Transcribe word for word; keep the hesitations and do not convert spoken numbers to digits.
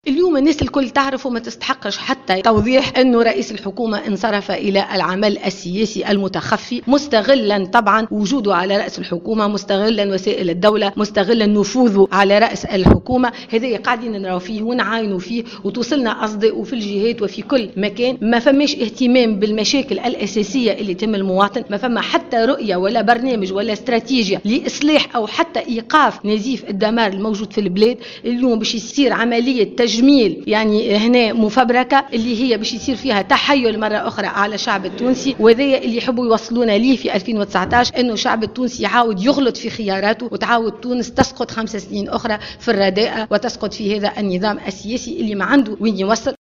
اليوم الناس الكل تعرف وما تستحقش حتى توضيح أنه رئيس الحكومة انصرف إلى العمل السياسي المتخفي، مستغلا طبعا وجوده على رأس الحكومة، مستغلا وسائل الدولة، مستغلا نفوذه على رأس الحكومة. هذا قاعدين نراو فيه ونعاينوا فيه وتوصلنا أصداء وفي الجهات وفي كل مكان. ما فماش اهتمام بالمشاكل الأساسية اللي تم المواطن، ما فما حتى رؤية ولا برنامج ولا استراتيجية لإصلاح أو حتى إيقاف نزيف الدمار الموجود في البلاد. اليوم باش يصير عملية تجميل يعني هنا مفبركة اللي هي باش يصير فيها تحيل مرة أخرى على الشعب التونسي، وهذا اللي يحبوا يوصلونا ليه في ألفين وتسعطاش، أنه الشعب التونسي يعاود يغلط في خياراته وتعاود تونس تسقط خمس سنين أخرى في الرداءة وتسقط في هذا النظام السياسي اللي ما عنده وين يوصل.